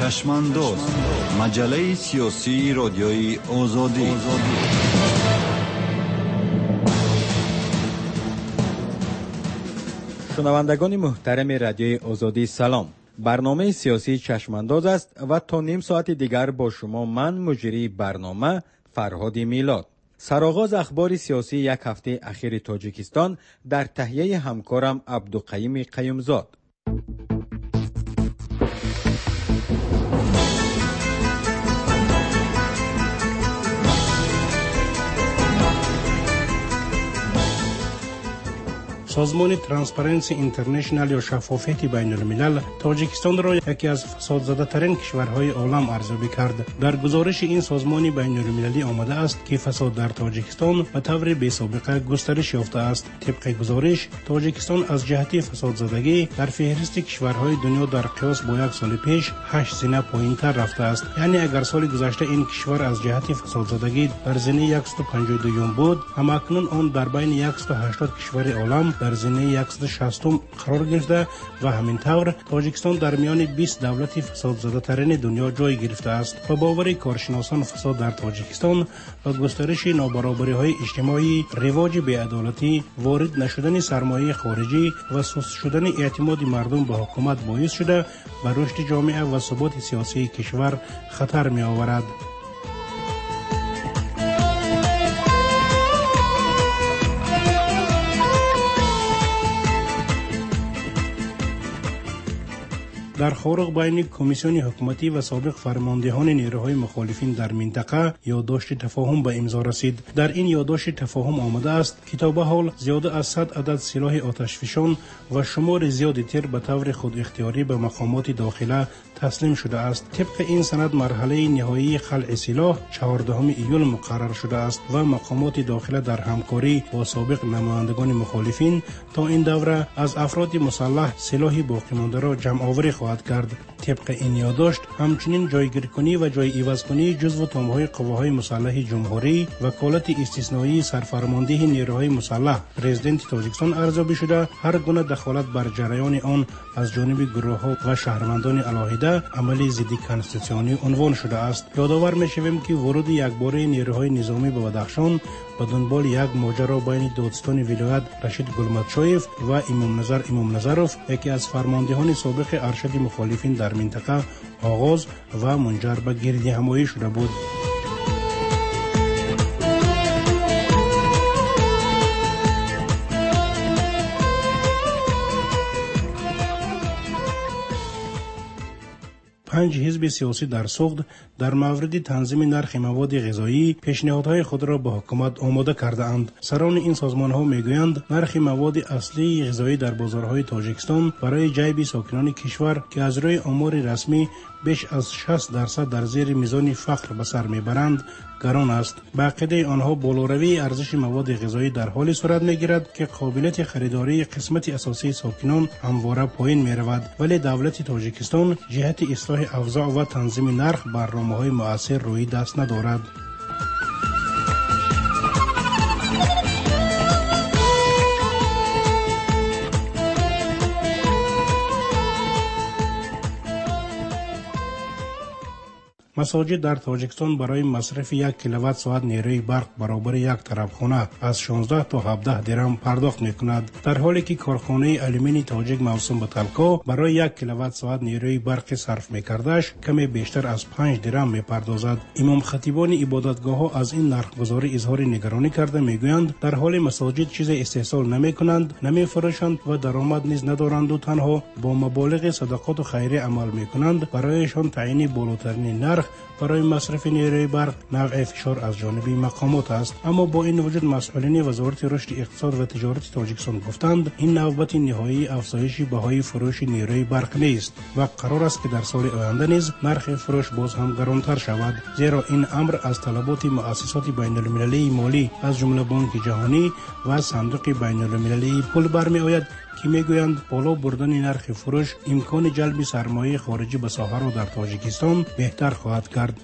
Чашмандоз, маҷаллаи сиёсии Радиои Озодӣ. Шунавандагони муҳтарами Радиои Озодӣ, салом. Барномаи сиёсии Чашмандоз аст ва то ним соати дигар бо шумо ман, муҷрии барнома Фарҳоди Милод. Сароғоз ахбори сиёсии як ҳафтаи ахири Тоҷикистон дар таҳияи ҳамкорам Абдуқаюми Қаюмзод. Созмони Transparency International ё Шаффофияти байналмилал Тоҷикистонро яке аз фасодзадатарин кишварҳои олам арзёбӣ кард. Дар гузориши ин созмони байналмилалӣ омадааст, ки фасод дар Тоҷикистон ба таври бесобиқа густариш ёфтааст. Тибқи гузориш, Тоҷикистон аз ҷиҳати фасодзадагӣ дар феҳристи кишварҳои дунё дар қиёс бо як соли пеш 8 зина поинтар рафтааст. Яъне агар соли гузашта ин кишвар аз ҷиҳати фасодзадагӣ дар зинаи 152 буд, ҳамакнун он дар байни 180 кишвари олам дар зинаи 160 қарор гирифта ва ҳамин тавр Тоҷикистон дар миёни 20 давлати фасодзадатарини дунё ҷой гирифтааст. Ба бовари коршиносон, фасод дар Тоҷикистон ба густариши нобаробариҳои иҷтимоӣ, ривоҷи беадолатӣ, ворид нашудани сармояи хориҷӣ ва суст шудани эътимоди мардум ба ҳукумат боис шуда, ба рушди ҷомеа ва суботи сиёсии кишвар хатар меоварад. Дар Хоруғ байни комиссиони ҳукуматӣ ва собиқ фармондеҳони нерӯҳои мухолифин дар минтақа ёддошти тафоҳум ба имзо расид. Дар ин ёддошти тафоҳум омадааст, ки то ба ҳол зиёда аз 100 адад силоҳи оташфишон ва шумори зиёди тир ба таври худихтиёрӣ ба мақомоти дохила таслим шудааст. Тибқи ин санад, марҳалаи ниҳоии халъи силоҳ 14 июл муқаррар шудааст ва мақомоти дохила дар ҳамкорӣ бо собиқ намояндагони мухолифин то ин давра аз афроди мусаллаҳ силоҳи боқимондаро ҷамъоварӣ хоҳад кард. Тибқи ин ёддошт, ҳамчунин ҷойгиркунӣ ва ҷойивазкунии ҷузву томҳои қувваҳои мусаллаҳи ҷумҳурӣ, ваколати истисноии сарфармондеҳи нерӯҳои мусаллаҳ президенти Тоҷикистон арзёбӣ шуда, ҳар гуна дахолат бар ҷараёни он аз ҷониби гурӯҳҳо ва шаҳрвандони алоҳида амали зидди конститутсионӣ унвон шудааст. Ёдовар мешавем, ки вуруди якбораи нерӯҳои низомӣ ба Бадахшон ба дунболи як моҷаро байни додситони вилоят Рашид Гулматшоев ва Имомназар Имомназаров, яке аз фармондеҳони собиқи аршади мухолифин дар минтақа, оғоз ва мунҷар ба гирдиҳамоӣ шуда буд. Панҷ ҳизби сиёсӣ дар Суғд дар мавриди танзими нархи маводи ғизоӣ пешниҳодҳои худро ба ҳукумат омода кардаанд. Сарони ин созмонҳо мегӯянд, нархи маводи аслии ғизоӣ дар бозорҳои Тоҷикистон барои ҷайби сокинони кишвар, ки аз рӯи омори расмӣ беш аз 60% дар зери мизони фақр ба сар мебаранд, гарон аст. Ба ақидаи онҳо, болоравии арзиши маводи ғизоӣ дар ҳоле сурат мегирад, ки қобилияти харидории қисмати асосии сокинон ҳамвора поин меравад, вале давлати Тоҷикистон ҷиҳати ислоҳи авзоъ ва танзими нарх барномаҳои муассир рӯи даст надорад. Масоҷид дар Тоҷикистон барои масрафи 1 киловатт соат нерӯи барқ баробари як тарабхона аз 16 то 17 дирам пардохт мекунад, дар ҳоле ки корхонаи алюмини тоҷик мавсум ба Талко барои 1 киловатт соат нерӯи барқи сарф мекардааш каме бештар аз 5 дирам мепардозад. Имомхатибони ибодатгоҳҳо аз ин нархгузорӣ изҳори нигаронӣ карда мегӯянд, дар ҳоли масоҷид чизе истеҳсол намекунанд, намефурӯшанд ва даромад низ надоранду танҳо бо маболиғи садақоту хайрия амал мекунанд. Барояшон таъйини болотарини нарх барои масрафи нерӯи барқ навъи фишор аз ҷониби мақомот аст. Аммо бо ин вуҷуд масъулини Вазорати рушди иқтисод ва тиҷорати Тоҷикистон гуфтанд, ин навбати ниҳоии афзоиши баҳои фурӯши нерӯи барқ нест ва қарор аст, ки дар соли оянда низ нархи фурӯш боз ҳам гаронтар шавад, зеро ин амр аз талаботи муассисоти байналмилалии молӣ аз ҷумла Бонки ҷаҳонӣ ва Сандуқи байналмилалии пул бармеояд, ки мегӯянд боло бурдани нархи фурӯш имкони ҷалби сармояи хориҷӣ ба соҳаро дар Тоҷикистон беҳтар хоҳад кард.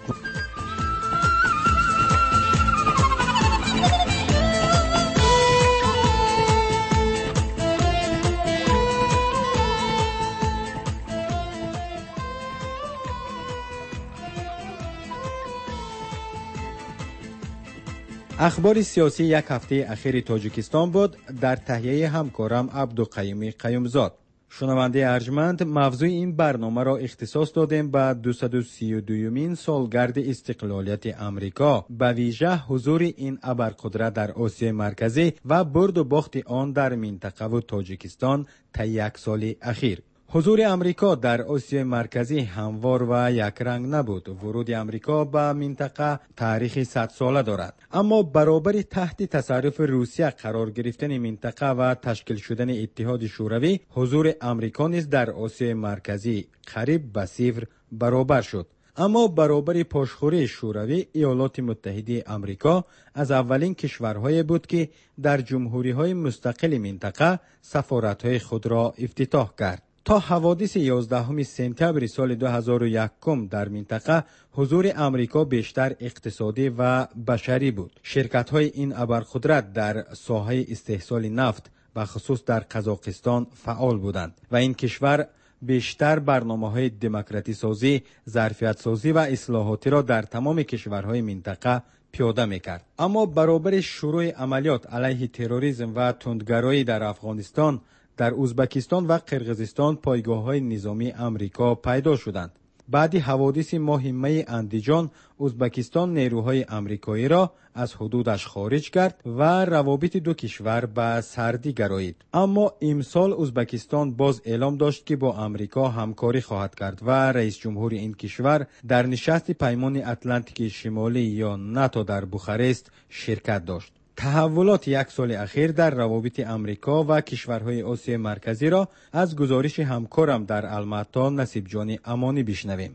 Ахбори сиёсии як ҳафтаи ахири Тоҷикистон буд дар таҳияи ҳамкорам Абдуқаюми Қаюмзод. Шунавандаи арҷманд, мавзӯи ин барномаро ихтисос додем ба 232-юмин солгарди истиқлолияти Амрико, ба вижа ҳузури ин абарқудрат дар Осиёи Марказӣ ва бурду бохти он дар минтақаву Тоҷикистон таи як соли ахир. Ҳузури Амрико дар Осиёи Марказӣ ҳамвор ва якранг набуд. Вуруди Амрико ба минтақа таърихи садсола дорад. Аммо баробари таҳти тасарруфи Русия қарор гирифтани минтақа ва ташкил шудани Иттиҳоди Шӯравӣ, ҳузури Амрико низ дар Осиёи Марказӣ қариб ба сифр баробар шуд. Аммо баробари пошхӯрии Шӯравӣ, Иёлоти Муттаҳидаи Амрико аз аввалин кишварҳое буд, ки дар ҷумҳуриҳои мустақили минтақа сафоратҳои худро ифтитоҳ кард. То ҳаводиси 11 сентябри соли 2001 дар минтақа ҳузури Амрико бештар иқтисодӣ ва башарӣ буд. Ширкатҳои ин абарқудрат дар соҳаи истеҳсоли нафт, бахусус дар Қазоқистон, фаъол буданд ва ин кишвар бештар барномаҳои демократисозӣ, зарфиятсозӣ ва ислоҳотиро дар тамоми кишварҳои минтақа пиёда мекард. Аммо баробари шурӯъи амалиёт алайҳи терроризм ва тундгароӣ дар Афғонистон, дар Ӯзбекистон ва Қирғизистон пойгоҳҳои низомии Амрико пайдо шуданд. Баъди ҳаводиси моҳи майи Андиҷон, Ӯзбекистон нерӯҳои амрикоиро аз ҳудудаш хориҷ кард ва равобити ду кишвар ба сардӣ гароид. Аммо имсол Ӯзбекистон боз эълом дошт, ки бо Амрико ҳамкорӣ хоҳад кард ва раисҷумҳури ин кишвар дар нишасти Паймони Атлантики Шимолӣ ё НАТО дар Бухарест ширкат дошт. Таҳаввулоти як соли ахир дар равобити Амрико ва кишварҳои Осиёи Марказиро аз гузориши ҳамкорам дар Алмато Насибҷони Амонӣ бишнавем.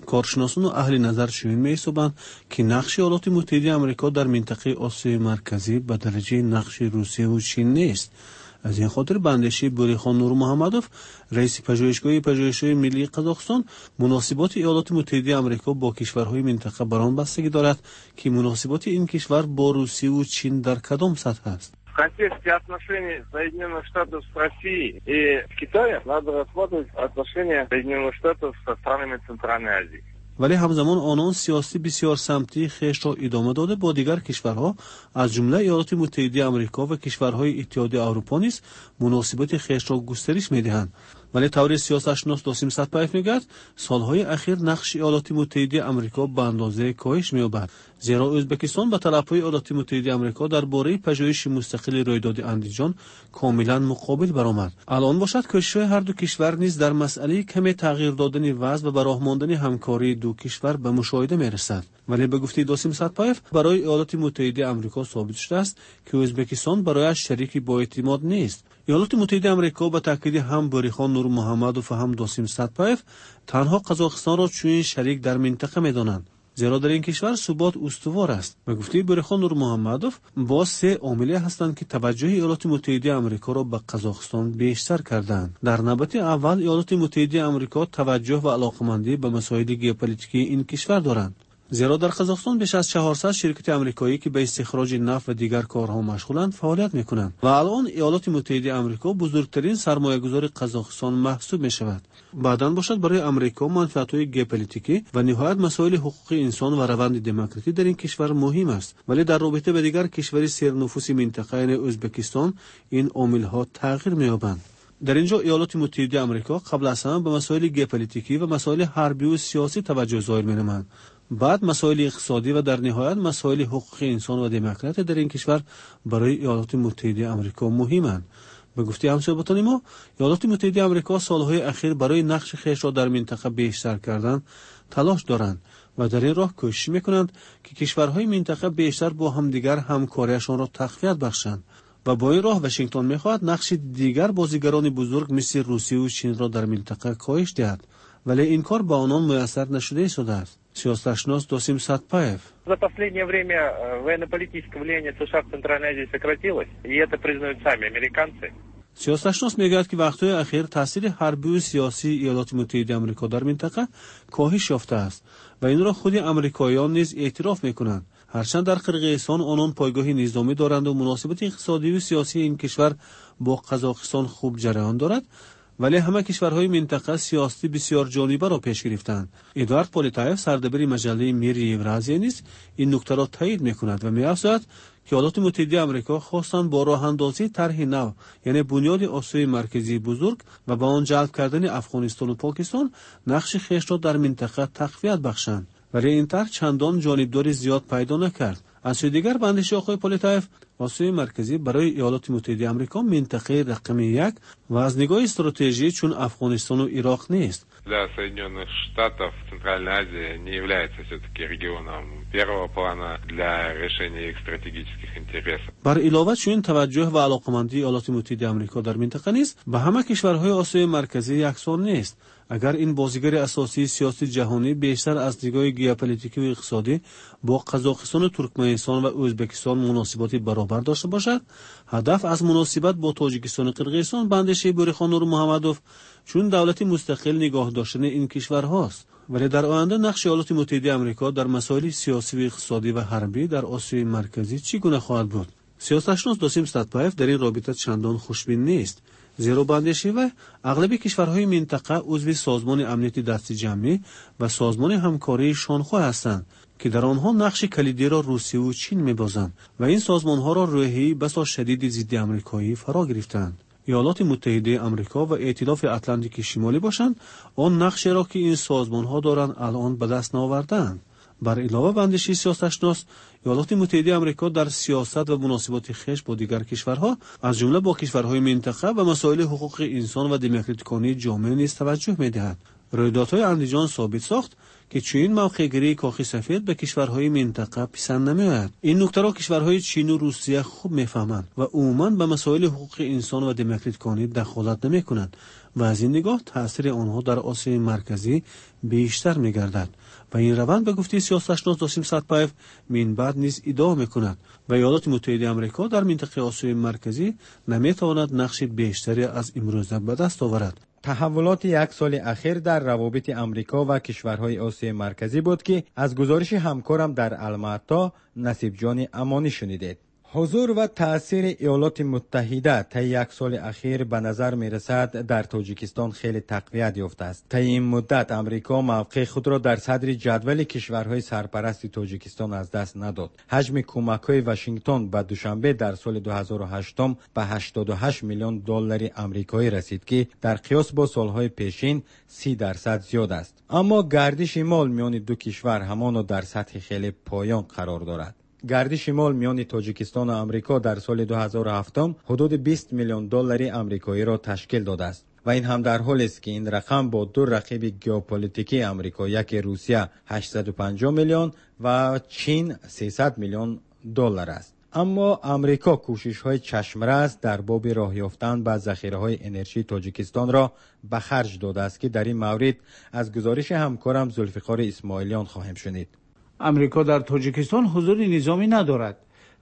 Коршиносону аҳли назар чунин меҳисобанд, ки нақши Иёлоти Муттаҳидаи Амрико дар минтақаи Осиёи Марказӣ ба дараҷаи нақши Русияву Чин нест. Аз ин хотир ба андешаи Бӯрихон Нурмуҳаммадов, раиси пажӯҳишгоҳи пажӯҳишҳои миллии Қазоқистон, муносиботи Иёлоти Муттаҳидаи Амрико бо кишварҳои минтақа бар он бастагӣ дорад, ки муносиботи ин кишвар бо Русияву Чин дар кадом сатҳ аст. В контексте отношений Соединенных Штатов с Россией и Китаем надо рассматривать отношения Соединенных Штатов со странами Центральной Азии. Вале ҳамзамон онон сиёсати бисёрсамтии хешро идома дода, бо дигар кишварҳо, аз ҷумла Иёлоти Муттаҳидаи Амрико ва кишварҳои Иттиҳоди Аврупо низ муносибати хешро густариш медиҳанд. Вале тавре сиёсатшинос Досим Сатпаев мегӯяд, солҳои ахир нақши Иёлоти Муттаҳидаи Амрико ба андозае коҳиш меёбад, зеро Ӯзбекистон ба талабҳои Иёлоти Муттаҳидаи Амрико дар бораи пажӯҳиши мустақили рӯйдоди Андиҷон комилан муқобил баромад. Алон бошад, кӯшишҳои ҳарду кишвар низ дар масъалаи каме тағйир додани вазъ ва ба роҳ мондани ҳамкории ду кишвар ба мушоҳида мерасад. Вале ба гуфтаи Досим Сатпаев, барои Иёлоти Муттаҳидаи Амрико собит шудааст, ки Ӯзбекистон барояш шарики боэътимод нест. Иёлоти Муттаҳидаи Амрико ба таъкиди ҳам Бӯрихон Нурмуҳаммадов ва ҳам Досим Сатпаев танҳо Қазоқистонро чунин шарик дар минтақа медонанд, зеро дар ин кишвар субот устувор аст. Ба гуфтаи Бӯрихон Нурмуҳаммадов, боз се омиле ҳастанд, ки таваҷҷӯҳи Иёлоти Муттаҳидаи Амрикоро ба Қазоқистон бештар кардаанд. Дар навбати аввал, Иёлоти Муттаҳидаи Амрико таваҷҷӯҳ ва алоқамандӣ ба масоили геополитикии ин кишвар доранд, зеро дар Қазоқистон беш аз 400 ширкати амрикоӣ, ки ба истихроҷи нафт ва дигар корҳо машғуланд, фаъолият мекунанд ва алон Иёлоти Муттаҳидаи Амрико бузургтарин сармоягузори Қазоқистон маҳсуб мешавад. Баъдан бошад, барои Амрико манфиатҳои геополитикӣ ва ниҳоят масоили ҳуқуқи инсон ва раванди демократӣ дар ин кишвар муҳим аст. Вале дар робита ба дигар кишвари сернуфуси минтақа, яъне Ӯзбекистон, ин омилҳо тағйир меёбанд. Дар ин ҷо Иёлоти Муттаҳидаи Амрико қабл аз ҳама ба масоили геополитикӣ ва масоили ҳарбиву сиёсӣ таваҷҷӯҳ зоҳир менамоянд, баъд масоили иқтисодӣ ва дар ниҳоят масоили ҳуқуқи инсон ва демократия дар ин кишвар барои Иёлоти Муттаҳидаи Амрико муҳиманд. Ба гуфтаи ҳамсӯҳбатони мо, Иёлоти Муттаҳидаи Амрико солҳои ахир барои нақши хешро дар минтақа бештар кардан талош доранд ва дар ин роҳ кӯшиш мекунанд, ки кишварҳои минтақа бештар бо ҳамдигар ҳамкориашонро тақвият бахшанд ва бо ин роҳ Вашингтон мехоҳад нақши дигар бозигарони бузург мисли Русияву Чинро дар минтақа коҳиш диҳад. Вале ин кор ба онон муяссар нашуда истодааст. Сиёсатшинос Досим Сатпаев: За последнее время военно-политическое влияние США в Центральной Азии сократилось, и это признают сами американцы. Сиёсатшинос мегӯяд, ки вақтҳои ахир таъсири ҳарбиву сиёсии Иёлоти Муттаҳидаи Амрико дар минтақа коҳиш ёфтааст ва инро худи амрикоиён низ эътироф мекунанд. Ҳарчанд дар Қирғизистон онон пойгоҳи низомӣ доранду муносибати иқтисодиву сиёсии ин кишвар бо Қазоқистон хуб ҷараён дорад, Вале ҳама кишварҳои минтақа сиёсати бисёрҷонибаро пеш гирифтанд. Эдуард Полетаев, сардабири маҷаллаи «Мири Евразия» низ ин нуктаро таъид мекунад ва меафзояд, ки Иёлоти Муттаҳидаи Амрико хостанд бо роҳандозии тарҳи нав, яъне бунёди Осиёи Марказии бузург ва ба он ҷалб кардани Афғонистону Покистон, нақши хешро дар минтақа тақвият бахшанд. Вале ин тарҳ чандон ҷонибдори зиёд пайдо накард. Аз сӯи дигар, ба андешаи оқои Полетаев, Осиёи Марказӣ барои Иёлоти Муттаҳидаи Амрико минтақаи рақами як ва аз нигоҳи стратежӣ чун Афғонистону Ироқ нест. Для Соединенных Штатов Центральная Азия не является все-таки регионом первого плана для решения их стратегических интересов. Бар илова, чунин таваҷҷӯҳ ва алоқамандии Иёлоти Муттаҳидаи Амрико дар минтақа низ ба ҳама кишварҳои Осиёи Марказӣ яксон нест. Агар ин бозигари асосии сиёсати ҷаҳонӣ бештар аз нигоҳи геополитикиву иқтисодӣ бо Қазоқистону Туркманистон ва Ӯзбекистон муносиботи баробар дошта бошад, ҳадаф аз муносибат бо Тоҷикистону Қирғизистон, ба андешаи Бӯрихон Нурмуҳаммадов, чун давлати мустақил нигоҳ доштани ин кишварҳост. Вале дар оянда нақши Иёлоти Муттаҳидаи Амрико дар масоили сиёсиву иқтисодӣ ва ҳарбӣ дар Осиёи Марказӣ чӣ гуна хоҳад буд? Сиёсатшинос Досим Сатпаев дар ин робита чандон хушбин нест, зеро ба андешаи вай ағлаби кишварҳои минтақа узви Созмони амнияти дастиҷамъӣ ва Созмони ҳамкории Шонхой ҳастанд, ки дар онҳо нақши калидиро Русияву Чин мебозанд ва ин созмонҳоро рӯҳияи басо шадиди зидди амрикоӣ фаро гирифтаанд. Иёлоти Муттаҳидаи Амрико ва Эътилофи Атлантики Шимолӣ бошанд, он нақшеро, ки ин созмонҳо доранд, алон ба даст наовардаанд. Бар илова, ба андешаи сиёсатшинос, Иёлоти Муттаҳидаи Амрико дар сиёсат ва муносиботи хеш бо дигар кишварҳо, аз ҷумла бо кишварҳои минтақа, ба масоили ҳуқуқи инсон ва демократиконии ҷомеа низ таваҷҷӯҳ медиҳад. Рӯйдодҳои Андиҷон собит сохт, ки чунин мавқеъгирии Кохи Сафед ба кишварҳои минтақа писанд намеояд. Ин нуктаро кишварҳои Чину Русия хуб мефаҳманд ва умуман ба масоили ҳуқуқи инсон ва демократиконӣ дахолат намекунанд ва аз ин нигоҳ таъсири онҳо дар Осиёи Марказӣ бештар мегардад. Ва ин раванд, ба гуфтаи сиёсатшинос Досим Сатпаев, минбаъд низ идома мекунад ва Иёлоти Муттаҳидаи Амрико дар минтақаи Осиёи Марказӣ наметавонад нақши бештаре аз имрӯза ба даст оварад. Таҳаввулоти як соли ахир дар равобити Амрико ва кишварҳои Осиёи Марказӣ буд, ки аз гузориши ҳамкорам дар Алмато Насибҷони Амонӣ шунидед. Ҳузур ва таъсири Иёлоти Муттаҳида таи як соли ахир ба назар мерасад дар Тоҷикистон хеле тақвият ёфтааст. Таи ин муддат Амрико мавқеи худро дар садри ҷадвали кишварҳои сарпарасти Тоҷикистон аз даст надод. Ҳаҷми кӯмакҳои Вашингтон ба Душанбе дар соли 2008 ба 88 миллион доллари амрикоӣ расид, ки дар қиёс бо солҳои пешин 30% зиёд аст. Аммо гардиши мол миёни ду кишвар ҳамоно дар сатҳи хеле поён қарор дорад. Гардиши мол миёни Тоҷикистону Амрико дар соли 2007 ҳудуди 20 миллион доллари амрикоиро ташкил додааст. Ва ин ҳам дар ҳолест, ки ин рақам бо ду рақиби геополитикии Амрико, яке Русия 850 миллион ва Чин 300 миллион доллар аст. Аммо Амрико кӯшишҳои чашмрас дар боби роҳ ёфтан ба захираҳои энержии Тоҷикистонро ба харҷ додааст, ки дар ин маврид аз гузориши ҳамкорам Зулфиқори Исмоилиён хоҳем шунид. Амрико дар Тоҷикистон ҳузури низомӣ надорад,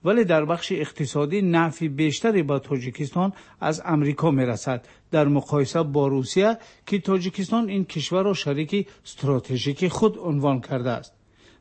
вале дар бахши иқтисодӣ нафъи бештаре ба Тоҷикистон аз Амрико мерасад дар муқоиса бо Русия, ки Тоҷикистон ин кишварро шарики стратежикии худ унвон кардааст.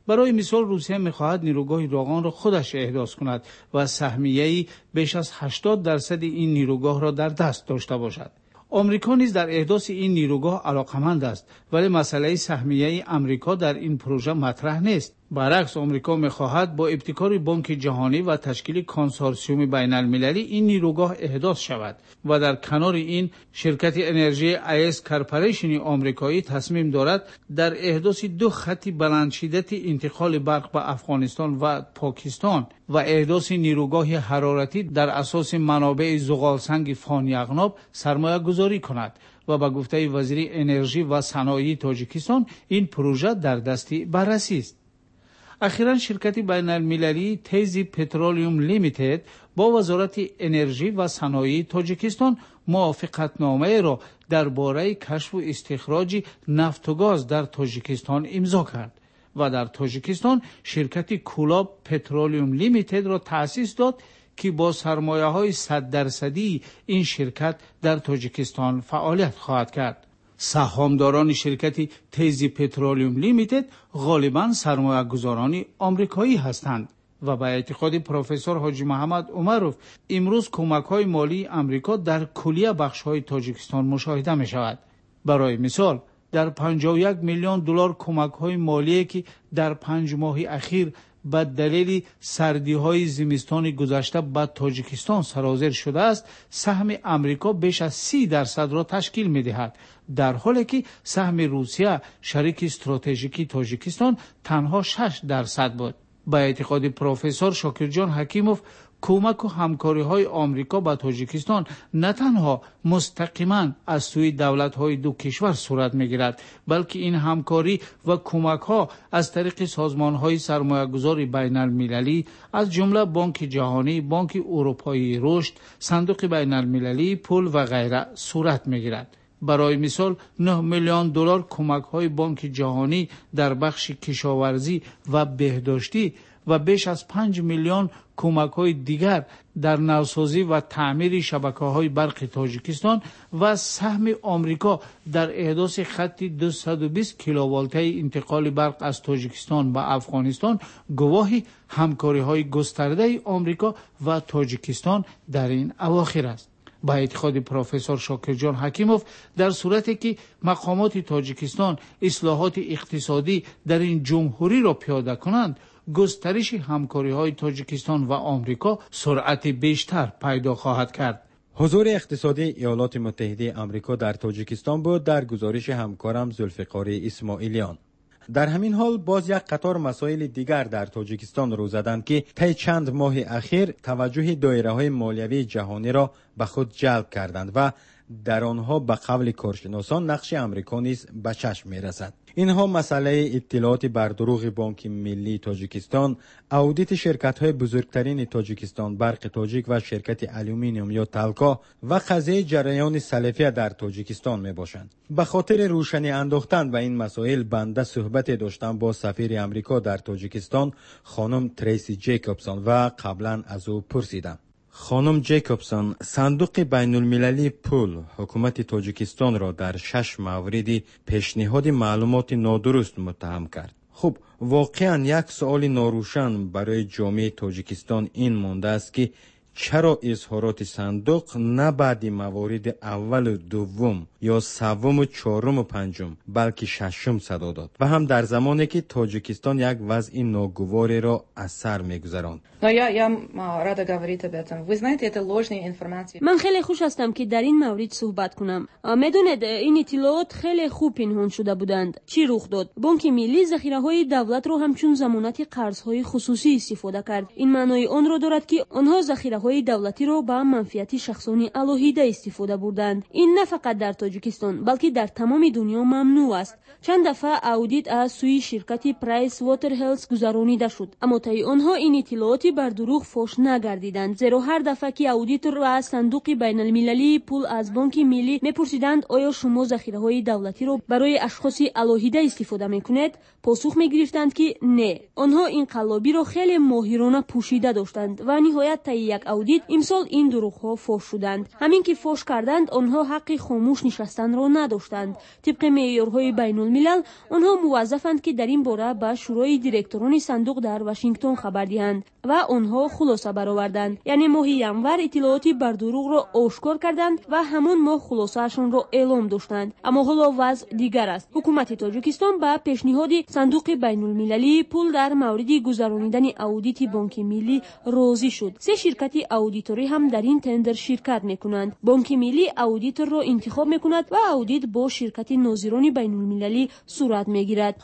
Барои мисол, Русия мехоҳад нерӯгоҳи Роғонро худаш эҳдос кунад ва саҳмияи беш аз 80% ин нерӯгоҳро дар даст дошта бошад. Амрико низ дар эҳдоси ин нерӯгоҳ алоқаманд аст, вале масъалаи саҳмияи Амрико дар ин пурӯжа матраҳ нест. Баръакс, Амрико мехоҳад бо ибтикори Бонки Ҷаҳонӣ ва ташкили консорсиуми байналмилалӣ ин нерӯгоҳ эҳдос шавад ва дар канори ин ширкати энержии АЭС Корпорейшни амрикоӣ тасмим дорад дар эҳдоси ду хати баландшиддати интиқоли барқ ба Афғонистон ва Покистон ва эҳдоси нерӯгоҳи ҳароратӣ дар асоси манобеи зуғолсанги Фон-Яғноб сармоягузорӣ кунад ва ба гуфтаи вазири энержӣ ва саноии Тоҷикистон ин пурӯжа дар дасти баррасӣ аст. Ахиран ширкати байналмилалии Тези Петролиум Лимитед бо Вазорати энержӣ ва саноии Тоҷикистон мувофиқатномаеро дар бораи кашфу истихроҷи нафту газ дар Тоҷикистон имзо кард ва дар Тоҷикистон ширкати Кулоб Петролиум Лимитедро таъсис дод, ки бо сармояҳои 100-дарсадии ин ширкат дар Тоҷикистон фаъолият хоҳад кард. Саҳомдорони ширкати Тези Петролиум Лимитед ғолибан сармоягузорони амрикоӣ ҳастанд. Ва ба эътиқоди профессор Ҳоҷи Муҳаммад Умаров, имрӯз кӯмакҳои молии Амрико дар куллия бахшҳои Тоҷикистон мушоҳида мешавад. Барои мисол, дар 51 миллион доллар кӯмакҳои молие, ки дар 5 моҳи ахир ба далели сардиҳои зимистони гузашта ба Тоҷикистон сарозер шудааст, саҳми Амрико беш аз 30%-ро ташкил медиҳад, дар ҳоле ки саҳми Русия, шарики стратежикии Тоҷикистон, танҳо 6% буд. Ба эътиқоди профессор Шокирҷон Ҳакимов, кӯмаку ҳамкориҳои Омрико ба Тоҷикистон на танҳо мустақиман аз сӯи давлатҳои ду кишвар сурат мегирад, балки ин ҳамкорӣ ва кӯмакҳо аз тариқи созмонҳои сармоягузори байналмилалӣ, аз ҷумла Бонки Ҷаҳонӣ, Бонки Урупоии Рушд, Сандуқи байналмилалии пул ва ғайра сурат мегирад. Барои мисол, 9 миллион доллар кӯмакҳои Бонки Ҷаҳонӣ дар бахши кишоварзӣ ва беҳдоштӣ ва беш аз 5 миллион кӯмакҳои дигар дар навсозӣ ва таъмири шабакаҳои барқи Тоҷикистон ва саҳми Омрико дар эҳдоси хатти 220 киловолтаи интиқоли барқ аз Тоҷикистон ба Афғонистон гувоҳи ҳамкориҳои густардаи Омрико ва Тоҷикистон дар ин авохир аст. Ба эътиқоди профессор Шокирҷон Ҳакимов, дар сурате ки мақомоти Тоҷикистон ислоҳоти иқтисодӣ дар ин ҷумҳуриро пиёда кунанд, густариши ҳамкориҳои Тоҷикистон ва Омрико суръати бештар пайдо хоҳад кард. Ҳузури иқтисодии Иёлоти Муттаҳидаи Амрико дар Тоҷикистон буд дар гузориши ҳамкорам Зулфиқори Исмоилиён. Дар ҳамин ҳол боз як қатор масоили дигар дар Тоҷикистон рӯ заданд, ки тайи чанд моҳи ахир таваҷҷӯҳи доираҳои молиявии ҷаҳониро ба худ ҷалб карданд ва дар онҳо ба қавли коршиносон нақши Амрико низ ба чашм мерасад. Инҳо масъалаи иттилооти бардурӯғи Бонки Миллии Тоҷикистон, аудити ширкатҳои бузургтарини Тоҷикистон, Барқи Тоҷик ва ширкати Алюминиум ё Талко ва қазияи ҷараёни салафия дар Тоҷикистон мебошанд. Ба хотири рӯшанӣ андохтан ба ин масоил банда суҳбате доштам бо сафири Амрико дар Тоҷикистон хонум Трейси Ҷейкобсон ва қаблан аз ӯ пурсидам. Хонум Ҷейкобсон, Сандуқи байнулмилалии пул ҳукумати Тоҷикистонро дар 6 мавриди пешниҳоди маълумоти нодуруст муттаҳам кард. Хуб, воқеан як суоли норӯшан барои ҷомеаи Тоҷикистон ин мондааст, ки чаро изҳороти сандуқ на баъди мавориди аввалу дуввум ё севуму чоруму панҷум, балки шашум садо дод ва ҳам дар замоне ки Тоҷикистон як вазъи ногувореро аз сар мегузаронд. Ман хеле хуш ҳастам, ки дар ин маврид суҳбат кунам. Медонед, ин иттилоот хеле хуб пинҳон шуда буданд. Чӣ рух дод? Бонки Миллӣ захираҳои давлатро ҳамчун замонати қарзҳои хусусӣ истифода кард. Ин маънои онро дорад, ки онҳо захираҳои давлатиро ба манфиати шахсони алоҳида истифода бурданд. Ин на фақат дар Тоҷикистон, балки дар тамоми дунё мамнӯъ аст. Чанд дафъа аудит аз сӯи ширкати Price Waterhouse гузаронида шуд, аммо таи онҳо ин иттилооти бардурӯғ фош нагардиданд, зеро ҳар дафъа ки аудитор ва Сандуқи байналмилалии пул аз Бонки Миллӣ мепурсиданд, оё шумо захираҳои давлатиро барои ашхоси алоҳида истифода мекунед, посух мегирифтанд, ки не. Онҳо ин қаллобиро хеле моҳирона пӯшида доштанд ва ниҳоят таи як аудит имсол ин дурӯғҳо фош шуданд. Ҳамин ки фош карданд, онҳо ҳаққи хомӯш нишастанро надоштанд. Тибқи меъёрҳои байнулмилал, онҳо муваззафанд, ки дар ин бора ба шӯрои директорони сандуқ дар Вашингтон хабар диҳанд ва онҳо хулоса бароварданд. Яъне моҳи январ иттилооти бардурӯғро ошкор карданд ва ҳамон моҳ хулосаашонро эълом доштанд. Аммо ҳоло вазъ дигар аст. Ҳукумати Тоҷикистон ба пешниҳоди Сандуқи байнулмилалии пул дар мавриди гузаронидани аудити Бонки Миллӣ розӣ шуд. 3 ширкати аудиторӣ ҳам дар ин тендер ширкат мекунанд. Бонки Миллӣ аудиторро интихоб мекунад ва аудит бо ширкати нозирони байнулмилалӣ сурат мегирад.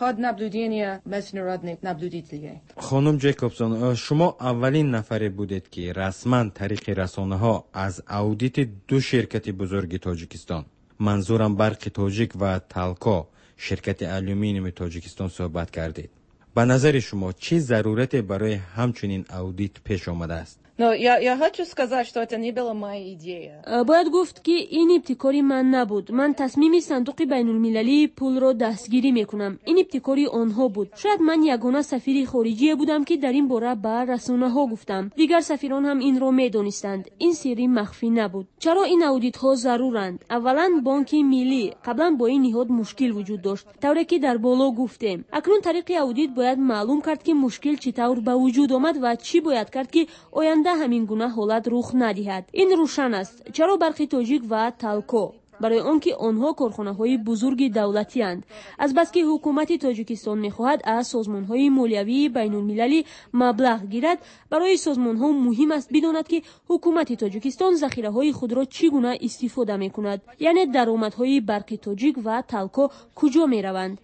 Хонум Ҷейкобсон, шумо аввалин нафаре будед, ки расман тариқи расонаҳо аз аудити 2 ширкати бузурги Тоҷикистон, манзурам Барқи Тоҷик ва Талко, ширкати алюминиуми Тоҷикистон суҳбат кардед. Ба назари шумо чӣ зарурате барои ҳамчунин аудит пеш омадааст? Но я хочу сказать, что это не была моя идея. Бояд гуфт, ки ин ибтикори ман набуд. Ман тасмими Сандуқи байнулмилалии пулро дастгирӣ мекунам. Ин ибтикори онҳо буд. Шояд ман ягона сафири хориҷие будам, ки дар ин бора ба расонаҳо гуфтам. Дигар сафирон ҳам инро медонистанд. Ин сирри махфӣ набуд. Чаро ин аудитҳо заруранд? Аввалан, Бонки Миллӣ. Қаблан бо ин ниҳод мушкил вуҷуд дошт, тавре ки дар боло гуфтем. Акнун тариқи аудит бояд маълум кард, ки мушкил чӣ тавр ба вуҷуд омад ва чӣ бояд кард, ки оянда ҳамин гуна ҳолат рух надиҳад. Ин рӯшан аст. Чаро Барқи Тоҷик ва Талко? Барои он ки онҳо корхонаҳои бузурги давлатианд. Азбаски ҳукумати Тоҷикистон мехоҳад аз созмонҳои молиявии байнулмилалӣ маблағ гирад, барои созмонҳо муҳим аст бидонад, ки ҳукумати Тоҷикистон захираҳои худро чӣ гуна истифода мекунад, яъне даромадҳои Барқи Тоҷик ва Талко куҷо мераванд.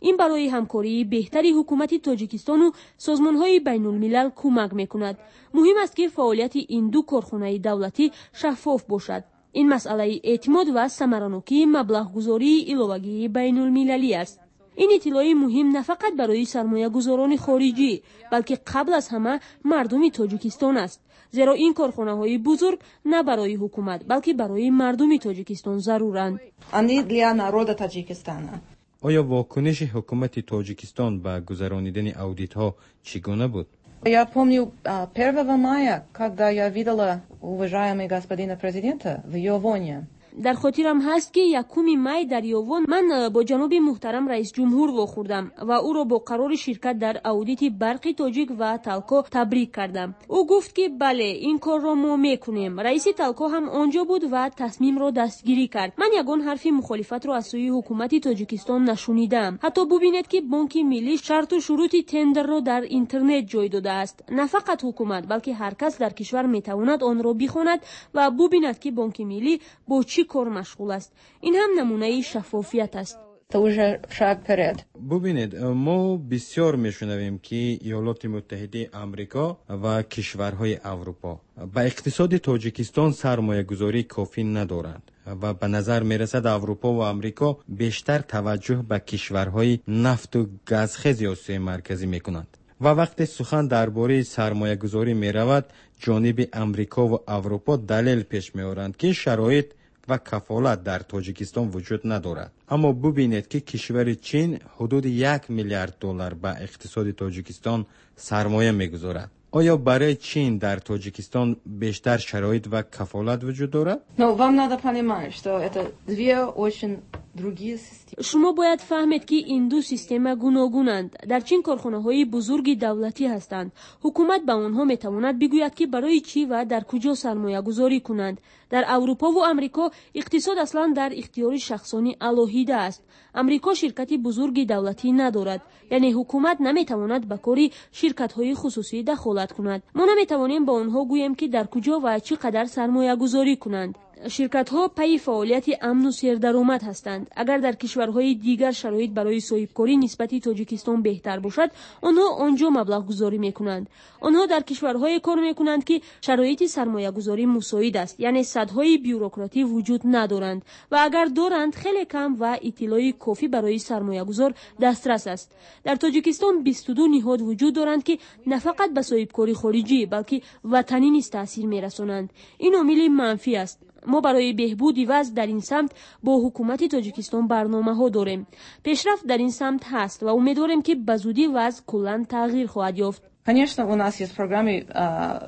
Ин барои ҳамкории беҳтари ҳукумати Тоҷикистону созмонҳои байнулмилал кӯмак мекунад. Муҳим аст, ки фаъолияти ин ду корхонаи давлатӣ шаффоф бошад. Ин масъалаи эътимод ва самаранокии маблағгузории иловагии байнулмилалӣ аст. Ин иттилои муҳим на фақат барои сармоягузорони хориҷӣ, балки қабл аз ҳама мардуми Тоҷикистон аст, зеро ин корхонаҳои бузург на барои ҳукумат, балки барои мардуми Тоҷикистон заруранд. Они для народа Таджикистана. Оё вокуниши ҳукумати Тоҷикистон ба гузаронидани аудитҳо чӣ гуна буд? Я помню 1 мая, когда я видела уважаемого господина президента в Ёвоне. Дар хотирам ҳаст, ки 1 май дар Ёвон ман бо ҷаноби муҳтарам раисҷумҳур вохӯрдам ва ӯро бо қарори ширкат дар аудити Барқи Тоҷик ва Талко табрик кардам. Ӯ гуфт, ки бале, ин корро мо мекунем. Раиси Талко ҳам он ҷо буд ва тасмимро дастгирӣ кард. Ман ягон ҳарфи мухолифатро аз сӯи ҳукумати Тоҷикистон нашунидаам. Ҳатто бубинед, ки Бонки Миллӣ шарту шурути тендерро дар интернет ҷой додааст. На фақат ҳукумат, балки ҳар кас дар кишвар метавонад онро бихонад ва бубинад, ки Бонки Миллӣ бо чӣ кор машғул аст. Ин ҳам намунаи шаффофият аст. Это уже шаг вперед. Бубинед, мо бисёр мешунавем, ки Иёлоти Муттаҳидаи Амрико ва кишварҳои Аврупо ба иқтисоди Тоҷикистон сармоягузории кофӣ надоранд ва ба назар мерасад, Аврупо ва Амрико бештар таваҷҷӯҳ ба кишварҳои нафту газхези Осиёи Марказӣ мекунанд. Ва вақте сухан дар бораи сармоягузорӣ меравад, ҷониби Амрико ва Аврупо далел пеш меоранд, ки шароит ва кафолат дар Тоҷикистон вуҷуд надорад. Аммо бубинед, ки кишвари Чин ҳудуди 1 миллиард доллар ба иқтисоди Тоҷикистон сармоя мегузорад. Оё барои Чин дар Тоҷикистон бештар шароит ва кафолат вуҷуд дорад? Но вам надо понимать, что это две очень другие системы. Шумо бояд фаҳмед, ки ин ду система гуногунанд. Дар Чин корхонаҳои бузурги давлатӣ ҳастанд. Ҳукумат ба онҳо метавонад бигӯяд, ки барои чӣ ва дар куҷо сармоягузорӣ кунанд. Дар Аврупову Амрико иқтисод аслан дар ихтиёри шахсони алоҳида аст. Амрико ширкати бузурги давлатӣ надорад, яъне ҳукумат наметавонад ба кори ширкатҳои хусусӣ дахолат кунад. Мо наметавонем ба онҳо гӯем, ки дар куҷо ва чӣ қадар сармоягузорӣ кунанд. Ширкатҳо пайи фаъолияти амну сердаромад ҳастанд. Агар дар кишварҳои дигар шароит барои соҳибкорӣ нисбати Тоҷикистон беҳтар бошад, онҳо он ҷо маблағгузорӣ мекунанд. Онҳо дар кишварҳое кор мекунанд, ки шароити сармоягузорӣ мусоид аст, яъне садҳои бюрократӣ вуҷуд надоранд ва агар доранд, хеле кам ва иттилои кофӣ барои сармоягузор дастрас аст. Дар Тоҷикистон 22 ниҳод вуҷуд доранд, ки на фақат ба соҳибкори хориҷӣ, балки ватанӣ низ таъсир мерасонанд. Ин омили манфӣ аст. Мо барои беҳбуди вазъ дар ин самт бо ҳукумати Тоҷикистон барномаҳо дорем. Пешрафт дар ин самт ҳаст ва умедворем, ки ба зудӣ вазъ куллан тағйир хоҳад ёфт. Конечно, у нас есть программы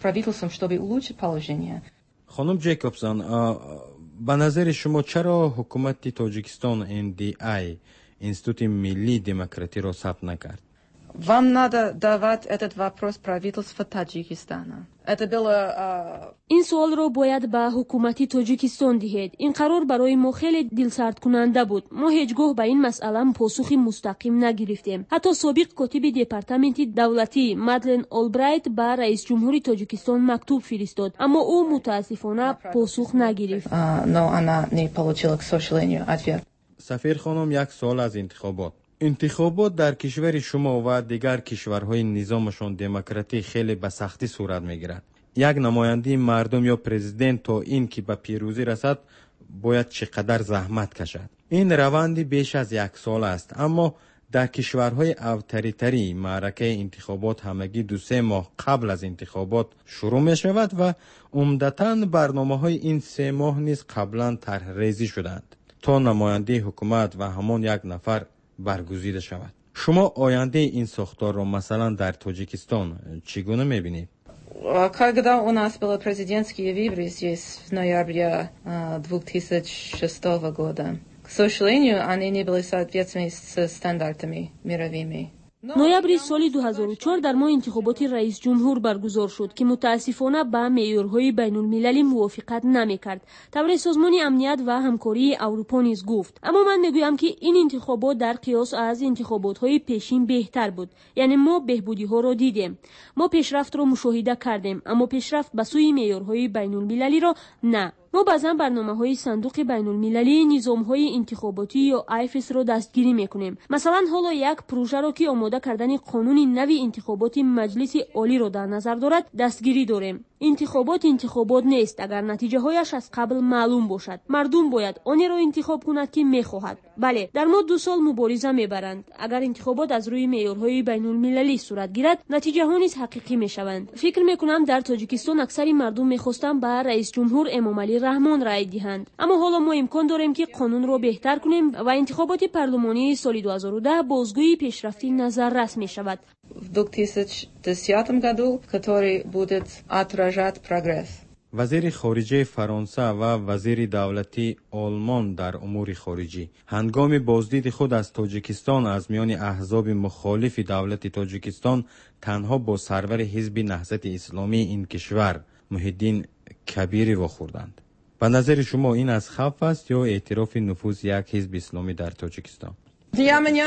правительством, чтобы улучшить положение. Хонум Ҷейкобсон, ба назари шумо, чаро ҳукумати Тоҷикистон НДИ, Институти миллии демократиро сабт накард? Вам надо давать этот вопрос правительству Таджикистана. Это было Ин суолро бояд ба ҳукумати Тоҷикистон диҳед. Ин қарор барои мо хеле дилсардкунанда буд. Мо ҳеҷ гоҳ ба ин масъала посухи мустақим нагирифтем. Ҳатто собиқ котиби Департаменти давлатӣ Мадлен Олбрайт ба раисҷумҳури Тоҷикистон мактуб фиристод, аммо ӯ мутаассифона посух нагирифт. Но она не получила, к сожалению, ответ. Сафир хонум, як суол аз интихобот. Интихобот дар кишвари шумо ва дигар кишварҳои низомашон демократӣ хеле ба сахтӣ сурат мегирад. Як намояндаи мардум ё президент то ин ки ба пирӯзӣ расад, бояд чӣ қадар заҳмат кашад. Ин раванди беш аз як сол аст, аммо Дар кишварҳои авторитарӣ маъракаи интихобот ҳамагӣ 2-3 моҳ қабл аз интихобот шурӯъ мешавад ва умдатан барномаҳои ин 3 моҳ низ қаблан тарҳрезӣ шудаанд, то намояндаи ҳукумат ва ҳамон як нафар баргузида шавад. Шумо ояндаи ин сохторро масалан дар Тоҷикистон чӣ гуна мебинед? Когда у нас были президентские выборы здесь в ноябре 2006 года, к сожалению, они не были соответственны с стандартами мировыми. Ноябри соли 2004 дар мо интихоботи раисҷумҳур баргузор шуд, ки мутаассифона ба меъёрҳои байнулмилалӣ мувофиқат намекард. Тавре Созмони амният ва ҳамкории Аврупо низ гуфт. Аммо ман мегӯям, ки ин интихобот дар қиёс аз интихоботҳои пешин беҳтар буд. Яъне мо беҳбудиҳоро дидем. Мо пешрафтро мушоҳида кардем, аммо пешрафт ба сӯи меъёрҳои байнулмилалиро на. Мо баъзан барномаҳои Сандуқи байнулмилалии низомҳои интихоботӣ ё АйФС-ро дастгирӣ мекунем. Масалан, ҳоло як прӯжаро, ки омода кардани қонуни нави интихоботи Маҷлиси Олиро дар назар дорад, дастгирӣ дорем. Интихобот интихобот нест, агар натиҷаҳояш аз қабл маълум бошад. Мардум бояд онеро интихоб кунад, ки мехоҳад. Бале, дар мо 2 сол мубориза мебаранд. Агар интихобот аз рӯи меъёрҳои байнулмилалӣ сурат гирад, натиҷаҳо низ ҳақиқӣ мешаванд. Фикр мекунам, дар Тоҷикистон аксари мардум мехостанд ба раисҷумҳур Эмомалӣ Раҳмон рай диҳанд. Аммо ҳоло мо имкон дорем, ки қонунро беҳтар кунем ва интихоботи парлумонии соли 2010 бозгӯи пешрафти назаррас мешавад. В 2010 году, который будет отражать прогресс. Вазири хориҷаи Фаронса ва вазири давлатии Олмон дар умури хориҷӣ ҳангоми боздиди худ аз Тоҷикистон аз миёни аҳзоби мухолифи давлати Тоҷикистон танҳо бо сарвари ҳизби Наҳзати Исломии ин кишвар Муҳиддин Кабирӣ вохӯрданд. Ба назари шумо ин аз хавф аст ё эътирофи нуфузи як ҳизби исломӣ дар Тоҷикистон? Для меня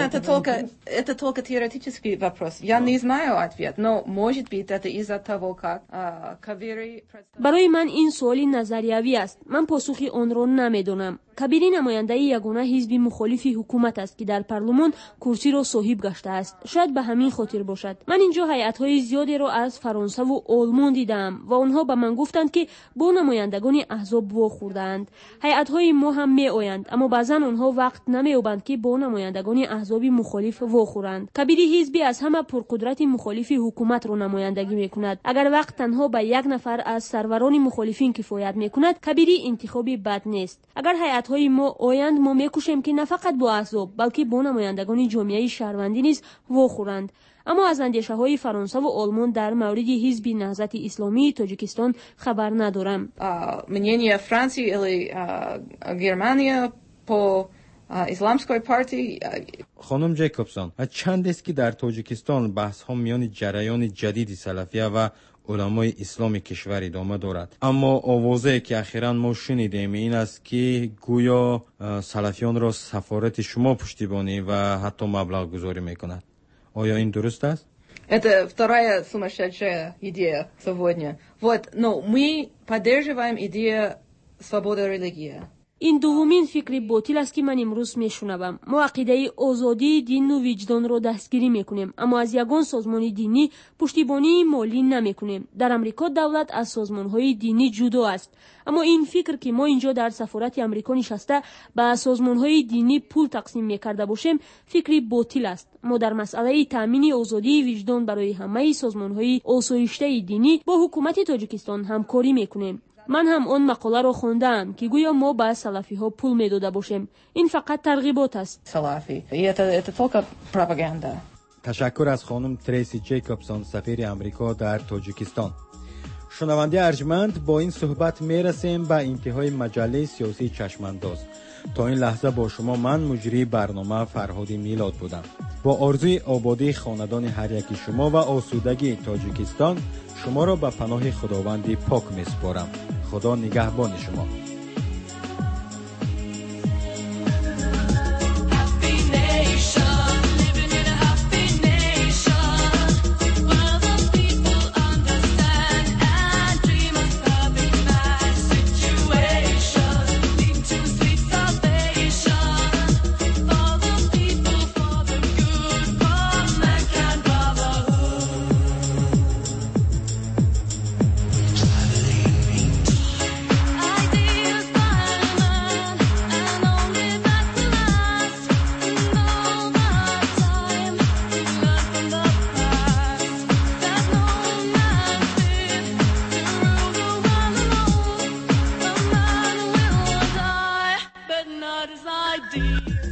это только теоретический вопрос. Я не знаю ответ, но может быть, это из-за того, как Кабири. Барои ман ин суоли назариявӣ аст. Ман посухи онро намедонам. Кабирӣ намояндаи ягона ҳизби мухолифи ҳукумат аст, ки дар парлумон курсиро соҳиб гаштааст. Шояд ба ҳамин хотир бошад. Ман инҷо ҳайатҳои зиёдеро аз Фаронсаву Олмон дидаам ва онҳо ба ман гуфтанд, ки бо намояндагони аҳзоб вохӯрдаанд. Ҳайатҳои мо ҳам меоянд, аммо баъзан онҳо вақт намеёбанд, ки бо намояндагони аҳзоби мухолиф вохӯранд. Кабири ҳизби аз ҳама пурқудрати мухолифи ҳукуматро намояндагӣ мекунад. Агар вақт танҳо ба як нафар аз сарварони мухолифин кифоят мекунад, Кабирӣ интихоби бад нест. Агар ҳайатҳои мо оянд, мо мекӯшем, ки на фақат бо аҳзоб, балки бо намояндагони ҷомеаи шаҳрвандӣ низ вохӯранд. Аммо аз андешаҳои Фаронсаву Олмон дар мавриди ҳизби Наҳзати Исломии Тоҷикистон хабар надорам. Мнение Франции или Германия по исламской партии. Хонум Ҷейкобсон, чандест, ки дар Тоҷикистон баҳсҳо миёни ҷараёни ҷадиди салафия ва уламои исломи кишвар идома дорад. Аммо овозае, ки ахиран мо шунидем, ин аст, ки гӯё салафиёнро сафорати шумо пуштибонӣ ва ҳатто маблағгузорӣ мекунад. Оё ин дуруст аст? Это вторая сумасшедшая идея сегодня. Вот, но мы поддерживаем идею свободы религии. Ин дуввумин фикри ботил аст, ки ман имрӯз мешунавам. Мо ақидаи озодии дину виҷдонро дастгирӣ мекунем, аммо аз ягон созмони динӣ пуштибонии молӣ намекунем. Дар Амрико давлат аз созмонҳои динӣ ҷудо аст. Аммо ин фикр, ки мо инҷо дар сафорати Амрико нишаста ба созмонҳои динӣ пул тақсим мекарда бошем, фикри ботил аст. Мо дар масъалаи таъмини озодии виҷдон барои ҳамаи созмонҳои осоиштаи динӣ бо ҳукумати Тоҷикистон ҳамкорӣ мекунем. Ман ҳам он мақоларо хондаам, ки гӯё мо ба салафиҳо пул медода бошем. Ин фақат тарғибот аст. Салафи. И это только пропаганда. Ташаккур аз хонум Трейси Ҷейкобсон, сафири Амрико дар Тоҷикистон. Шунавандаи арҷманд, бо ин суҳбат мерасем ба интиҳои маҷаллаи сиёсии Чашмандоз. То ин лаҳза бо шумо ман, муҷрии барнома Фарҳоди Милод будам. Бо орзуи ободии хонадони ҳар яки шумо ва осудагии Тоҷикистон шуморо ба паноҳи Худованди пок месупорам. Худо нигаҳбони шумо. Happy nation, living in a happy nation. Where the people understand and dream of perfect man situation. Lead to sweet salvation for the people, for the good, for mankind brotherhood. Ideas. Dear.